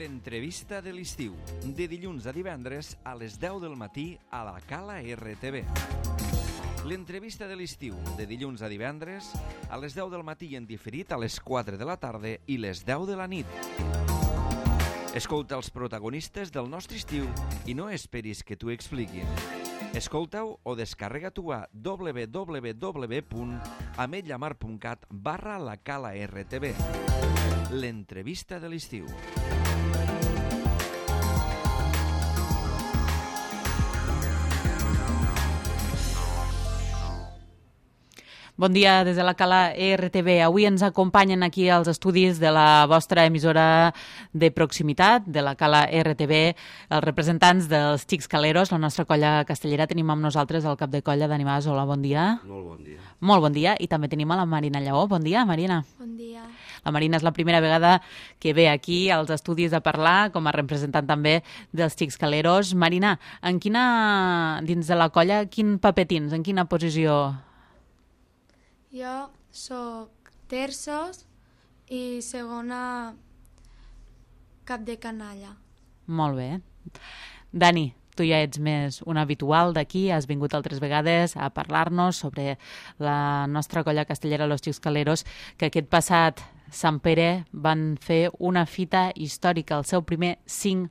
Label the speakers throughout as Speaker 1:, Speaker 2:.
Speaker 1: L'entrevista de l'estiu, de dilluns a divendres a les 10 del matí a la Cala RTV. L'entrevista de l'estiu, de dilluns a divendres a les 10 del matí en diferit a les 4 de la tarda i les 10 de la nit. Escolta els protagonistes del nostre estiu i no esperis que t'ho expliquin. Escolta-ho o descarrega-t'ho a www.ametlllamar.cat/la Cala RTV. L'entrevista de l'estiu.
Speaker 2: Bon dia des de la Cala RTV. Avui ens acompanyen aquí als estudis de la vostra emissora de proximitat, de la Cala RTV, els representants dels Xics Caleros, la nostra colla castellera. Tenim amb nosaltres el cap de colla Dani Mas. Hola, bon dia.
Speaker 3: Molt bon dia.
Speaker 2: Molt bon dia. I també tenim a la Marina Lleó. Bon dia, Marina.
Speaker 4: Bon dia.
Speaker 2: La Marina és la primera vegada que ve aquí als estudis a parlar, com a representant també dels Xics Caleros. Marina, dins de la colla, quin paper tens? En quina posició?
Speaker 4: Jo soc terços i segona cap de canalla.
Speaker 2: Molt bé. Dani, tu ja ets més un habitual d'aquí, has vingut altres vegades a parlar-nos sobre la nostra colla castellera, los Xics Caleros, que aquest passat Sant Pere van fer una fita històrica, el seu primer 5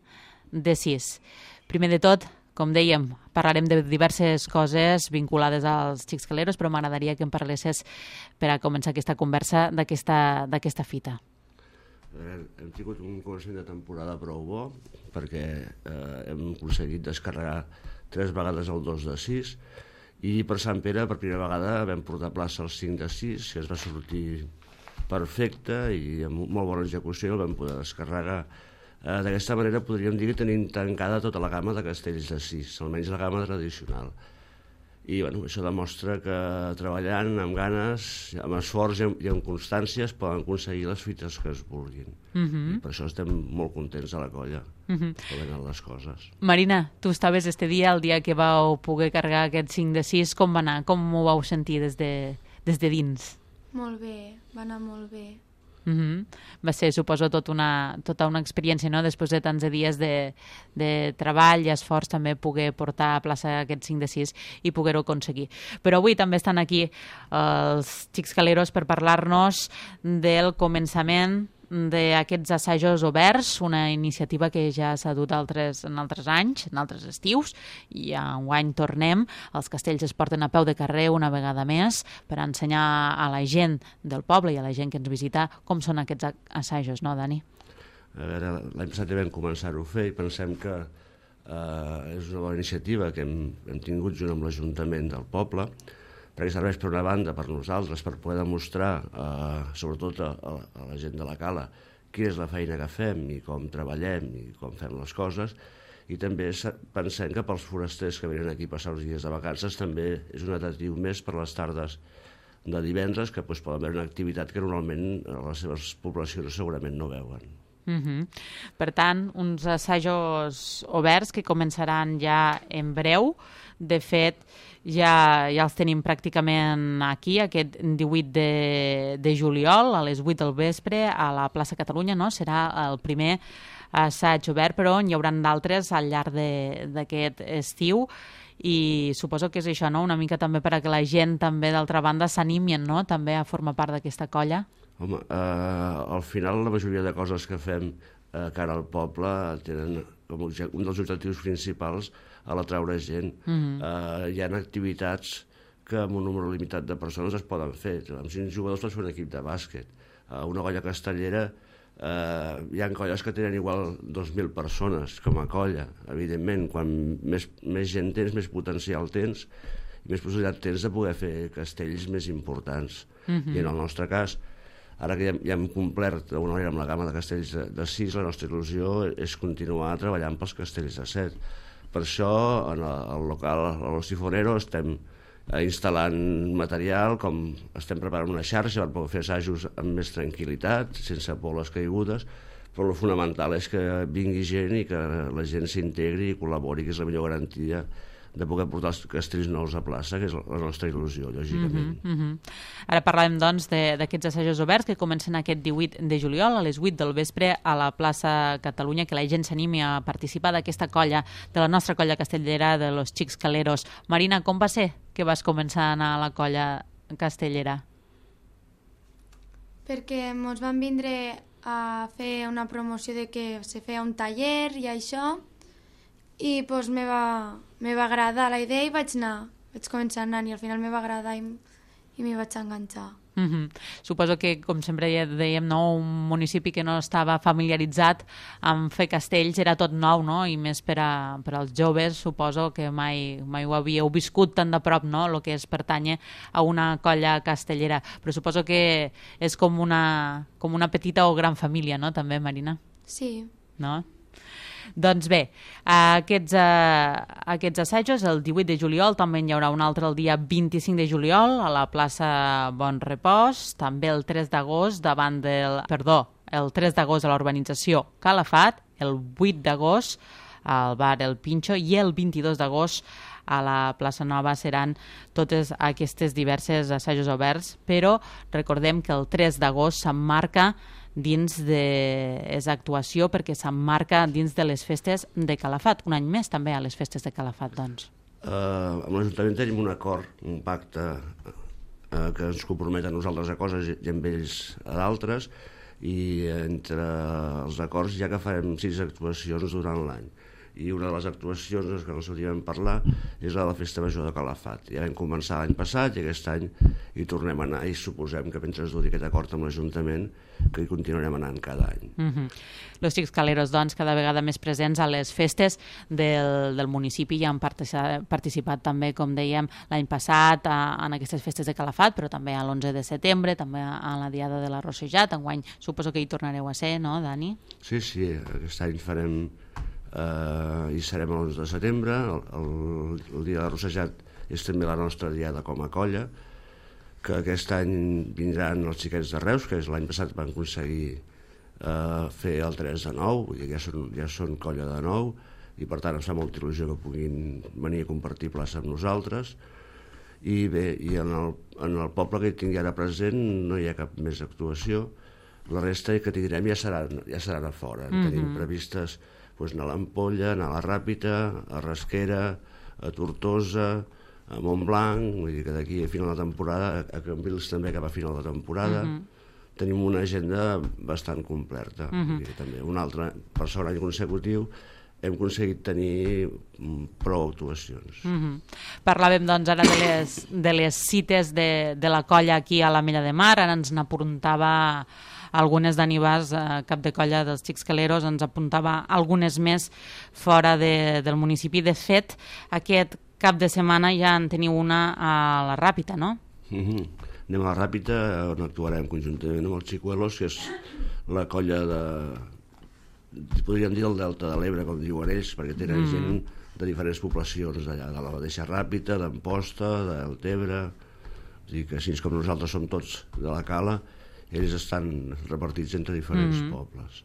Speaker 2: de 6. Primer de tot, com dèiem, parlarem de diverses coses vinculades als Xics Caleros, però m'agradaria que em parlessis, per a començar aquesta conversa, d'aquesta fita.
Speaker 3: Hem tingut un començament de temporada prou bo, perquè hem aconseguit descarregar 3 vegades el 2 de 6, i per Sant Pere, per primera vegada, vam portar a plaça el 5 de 6, que es va sortir perfecte i amb molt bona execució el vam poder descarregar. D'aquesta manera podríem dir que tenim tancada tota la gamma de castells de 6, almenys la gamma tradicional. I això demostra que treballant amb ganes, amb esforç i amb constància es poden aconseguir les fites que es vulguin. I per això estem molt contents a la colla, que venen les coses.
Speaker 2: Marina, tu estaves este dia, el dia que vau poder carregar aquest 5 de 6, com va anar? Com ho vau sentir des de dins?
Speaker 4: Molt bé, va anar molt bé.
Speaker 2: Va ser, suposo, tota una experiència, no? Després de tants dies de treball i esforç, també poder portar a plaça aquest 5 de 6 i poder-ho aconseguir. Però avui també estan aquí els Xics Caleros per parlar-nos del començament d'aquests assajos oberts, una iniciativa que ja s'ha dut en altres anys, en altres estius, i enguany tornem. Els castells es porten a peu de carrer una vegada més per ensenyar a la gent del poble i a la gent que ens visita com són aquests assajos, no, Dani?
Speaker 3: A veure, l'any passat vam començar-ho a fer i pensem que és una bona iniciativa que hem tingut junt amb l'Ajuntament del poble, perquè serveix per una banda per nosaltres, per poder demostrar, sobretot a la gent de la Cala, quina és la feina que fem i com treballem i com fem les coses, i també pensem que pels forasters que venen aquí a passar uns dies de vacances també és un atractiu més per les tardes de divendres, que poden veure una activitat que normalment a les seves poblacions segurament no veuen.
Speaker 2: Per tant, uns assajos oberts que començaran ja en breu. De fet, ja els tenim pràcticament aquí, aquest 18 de juliol, a les 8 del vespre, a la plaça Catalunya, no? Serà el primer assaig obert, però n'hi haurà d'altres al llarg d'aquest estiu, i suposo que és això, no? Una mica també per a que la gent també d'altra banda s'animin, no? També a formar part d'aquesta colla.
Speaker 3: Home, al final la majoria de coses que fem cara al poble tenen com un dels objectius principals a l'atraure gent. Hi ha activitats que amb un número limitat de persones es poden fer. Amb 5 jugadors pots fer un equip de bàsquet. Una colla castellera, hi ha colles que tenen igual 2.000 persones com a colla. Evidentment, quan més gent tens, més potencial tens i més possibilitat tens de poder fer castells més importants. I en el nostre cas, ara que ja hem complert d'alguna manera amb la gamma de castells de 6, la nostra il·lusió és continuar treballant pels castells de 7. Per això, en el local, a Los Sifoneros, estem instal·lant material, com estem preparant una xarxa per poder fer assajos amb més tranquil·litat, sense por a les caigudes, però el fonamental és que vingui gent i que la gent s'integri i col·labori, que és la millor garantia de poder portar els castells nous a plaça, que és la nostra il·lusió, lògicament.
Speaker 2: Ara parlem, doncs, d'aquests assajos oberts que comencen aquest 18 de juliol a les 8 del vespre a la plaça Catalunya, que la gent s'animi a participar d'aquesta colla, de la nostra colla castellera, de los Xics Caleros. Marina, com va ser que vas començar a anar a la colla castellera?
Speaker 4: Perquè ens van vindre a fer una promoció de que se feia un taller i això, i doncs me va agradar la idea i vaig començar anant i al final me va agradar i m'hi vaig enganxar.
Speaker 2: Suposo que, com sempre ja dèiem, no, un municipi que no estava familiaritzat amb fer castells era tot nou, no? I més per als joves, suposo que mai ho havíeu viscut tan de prop, no? El que és pertànyer a una colla castellera. Però suposo que és com una petita o gran família, no? També, Marina?
Speaker 4: Sí.
Speaker 2: No? Doncs bé, aquests assajos el 18 de juliol, també hi haurà un altre el dia 25 de juliol a la plaça Bon Repòs, també el 3 d'agost el 3 d'agost a la urbanització Calafat, el 8 d'agost al bar El Pinxo i el 22 d'agost a la plaça Nova. Seran totes aquestes diverses assajos oberts, però recordem que el 3 d'agost s'emmarca dins és actuació perquè s'emmarca dins de les festes de Calafat, un any més també a les festes de Calafat, doncs.
Speaker 3: Amb l'Ajuntament tenim un acord, un pacte que ens compromet a nosaltres a coses i amb ells a d'altres, i entre els acords ja que farem 6 actuacions durant l'any. I una de les actuacions que no sortíem a parlar és la de la Festa Major de Calafat. Ja vam començar l'any passat i aquest any hi tornem a anar i suposem que mentre es duri aquest acord amb l'Ajuntament que hi continuarem anant cada any.
Speaker 2: Los Xics Caleros, doncs, cada vegada més presents a les festes del municipi, ja han participat també, com dèiem, l'any passat en aquestes festes de Calafat, però també a l'11 de setembre, també a la Diada de la Rossejat. Enguany suposo que hi tornareu a ser, no, Dani?
Speaker 3: Sí, aquest any farem i serem l'11 de setembre, el dia de la Rossejat és també la nostra diada com a colla, que aquest any vindran els xiquets de Reus, que l'any passat van aconseguir fer el 3 de 9, vull dir, ja són colla de 9, i per tant em fa molta il·lusió que puguin venir a compartir plaça amb nosaltres. I bé, i en el poble que hi tingui ara present no hi ha cap més actuació, la resta que tindrem ja seran a fora. Tenim previstes anar a l'Ampolla, anar a la Ràpita, a Rasquera, a Tortosa, a Montblanc, vull dir que d'aquí a final de temporada, a Cambrils també cap a final de temporada, tenim una agenda bastant completa. També un altre, per segon any consecutiu, hem aconseguit tenir prou actuacions.
Speaker 2: Parlàvem doncs ara de les cites de la colla aquí a l'Ametlla de Mar, ara ens n'apuntava algunes Dani Bas, cap de colla dels Xics Caleros, ens apuntava algunes més fora del municipi. De fet, aquest cap de setmana ja en teniu una a la Ràpita, no?
Speaker 3: Anem a la Ràpita, on actuarem conjuntament amb els Xicuelos, que és la colla podríem dir el Delta de l'Ebre, com diuen ells, perquè tenen gent de diferents poblacions d'allà, de la mateixa Ràpita, d'Amposta, de Deltebre. És a dir, que així com nosaltres som tots de la Cala, ells estan repartits entre diferents pobles.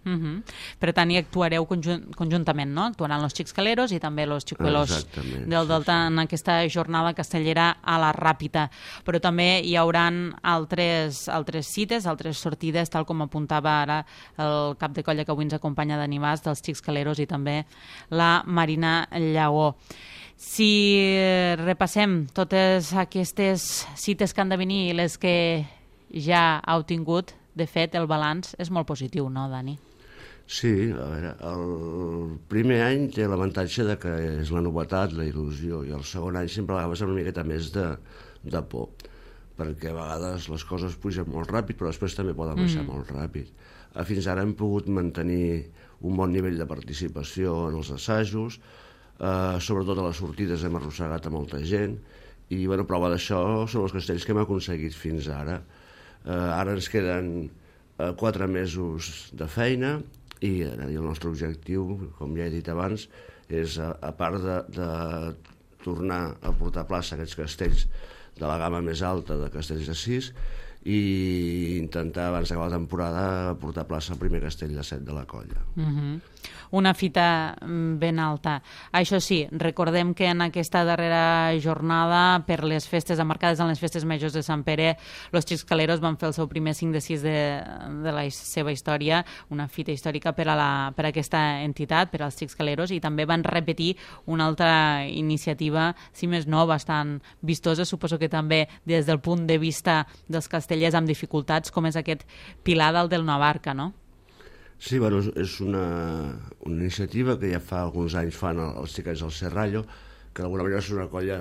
Speaker 2: Per tant, hi actuareu conjuntament, no? Actuaran los Xics Caleros i també los Xicuelos del Delta en aquesta jornada castellera a la Ràpita. Però també hi hauran altres cites, altres sortides, tal com apuntava ara el cap de colla que avui ens acompanya Dani Bas, dels Xics Caleros, i també la Marina Llaó. Si repassem totes aquestes cites que han de venir i les que ja heu tingut, de fet, el balanç és molt positiu, no, Dani?
Speaker 3: Sí, a veure, el primer any té l'avantatge de que és la novetat, la il·lusió, i el segon any sempre agafes una miqueta més de por, perquè a vegades les coses pugen molt ràpid, però després també poden baixar molt ràpid. Fins ara hem pogut mantenir un bon nivell de participació en els assajos, sobretot a les sortides hem arrossegat a molta gent, i prova d'això són els castells que hem aconseguit fins ara. Ara ens queden 4 mesos de feina i el nostre objectiu, com ja he dit abans, és, a part de tornar a portar a plaça aquests castells de la gamma més alta de castells de 6, i intentar, abans d'acabar la temporada, portar plaça al primer castell de 7 de la colla.
Speaker 2: Una fita ben alta. Això sí, recordem que en aquesta darrera jornada, per les festes emmarcades en les festes majors de Sant Pere, los Xiscaleros van fer el seu primer 5 de 6 de la seva història, una fita històrica per a aquesta entitat, per als Xiscaleros, i també van repetir una altra iniciativa, si més no, bastant vistosa, suposo que també des del punt de vista dels castellers amb dificultats, com és aquest Pilar dalt del Navarca, no?
Speaker 3: Sí, bueno, és una iniciativa que ja fa alguns anys fan els xiquets del Serrallo, que d'alguna manera és una colla,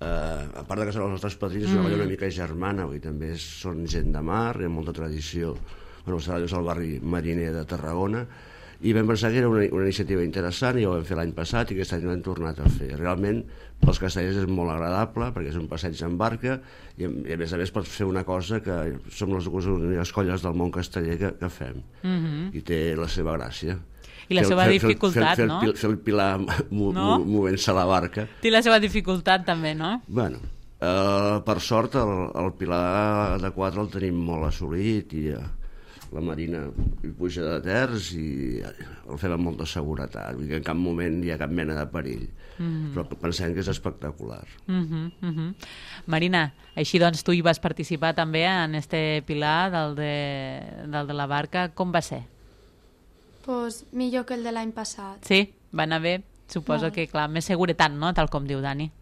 Speaker 3: a part de que són els nostres padrins, és una colla una mica germana, i també són gent de mar, hi ha molta tradició. Bueno, el Serrallo és el barri mariner de Tarragona, i vam pensar que era una iniciativa interessant, i ho vam fer l'any passat i aquest any l'hem tornat a fer. Realment, pels castellers és molt agradable, perquè és un passeig en barca, i a més pots fer una cosa que som les dues úniques colles del món casteller que fem, i té la seva gràcia.
Speaker 2: I la seva dificultat, no?
Speaker 3: Fer el Pilar movent-se a la barca.
Speaker 2: Té la seva dificultat també, no?
Speaker 3: Bueno, per sort el Pilar de 4 el tenim molt assolit, i la Marina hi puja de terç i el fem amb molta seguretat, vull dir que en cap moment hi ha cap mena de perill, però pensem que és espectacular.
Speaker 2: Marina, així doncs tu hi vas participar també en este Pilar del de la barca, com va ser?
Speaker 4: Pues millor que el de l'any passat.
Speaker 2: Sí? Va anar bé? Suposo que, clar, més seguretat, no?, tal com diu Dani.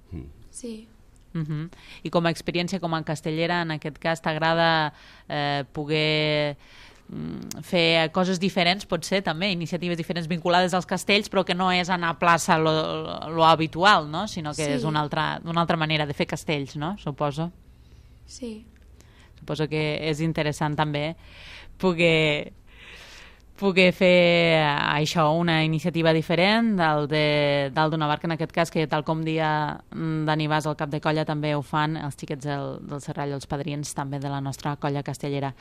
Speaker 4: Sí.
Speaker 2: I com a experiència, com a castellera, en aquest cas, t'agrada poder fer coses diferents, potser també, iniciatives diferents vinculades als castells, però que no és anar a plaça lo habitual, no?, sinó que és una altra manera de fer castells, no?, suposo.
Speaker 4: Sí.
Speaker 2: Suposo que és interessant també poder fer això, una iniciativa diferent dalt d'una barca, en aquest cas, que tal com dia Dani Bas, el cap de colla, també ho fan els xiquets del Serrallo, els padrins també de la nostra colla castellera.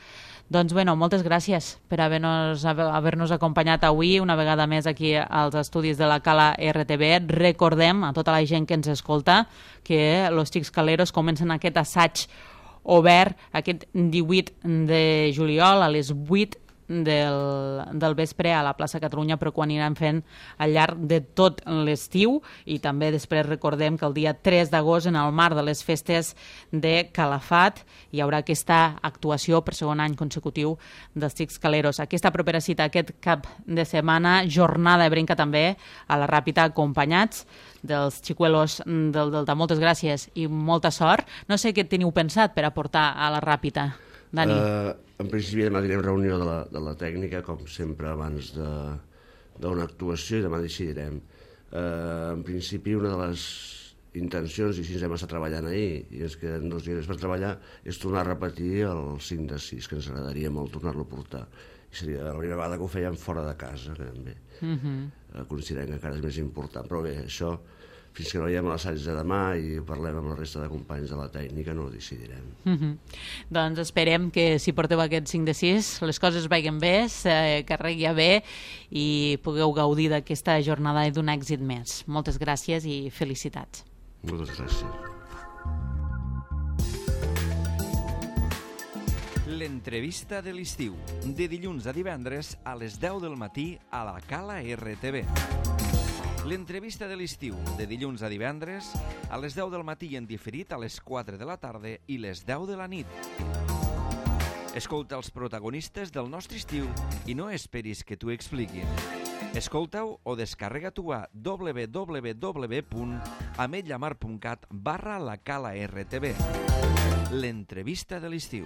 Speaker 2: Doncs, bueno, moltes gràcies per haver-nos acompanyat avui una vegada més aquí als estudis de la Cala RTV. Recordem a tota la gent que ens escolta que los Xiscaleros comencen aquest assaig obert aquest 18 de juliol a les 8 del vespre a la plaça Catalunya, però que ho aniran fent al llarg de tot l'estiu, i també després recordem que el dia 3 d'agost, en el marc de les festes de Calafat, hi haurà aquesta actuació per segon any consecutiu dels Xiscaleros. Aquesta propera cita, aquest cap de setmana, jornada ebrenca també a la Ràpita, acompanyats dels xicuelos del Delta. Moltes gràcies i molta sort. No sé què teniu pensat per aportar a la Ràpita, Dani.
Speaker 3: En principi demà tindrem reunió de la tècnica, com sempre, abans d'una actuació, i demà decidirem. En principi, una de les intencions, i així ens hem estat treballant ahir, i és que en 2 dies per treballar, és tornar a repetir el 5 de 6, que ens agradaria molt tornar-lo a portar. I seria la primera vegada que ho fèiem fora de casa, que també considerem que encara és més important. Però bé, això, fins que no veiem l'assaig de demà i parlem amb la resta de companys de la tècnica, no ho decidirem.
Speaker 2: Doncs esperem que si porteu aquest 5 de 6 les coses vagin bé, se carregui bé i pugueu gaudir d'aquesta jornada i d'un èxit més. Moltes gràcies i felicitats.
Speaker 3: Moltes gràcies.
Speaker 1: L'entrevista de l'estiu, de dilluns a divendres a les 10 del matí a la Cala RTV. L'entrevista de l'estiu, de dilluns a divendres, a les 10 del matí en diferit a les 4 de la tarda i les 10 de la nit. Escolta els protagonistes del nostre estiu i no esperis que t'ho expliquin. Escolta-ho o descarrega-t'ho a www.ametlllamar.cat/la Cala RTV. L'entrevista de l'estiu.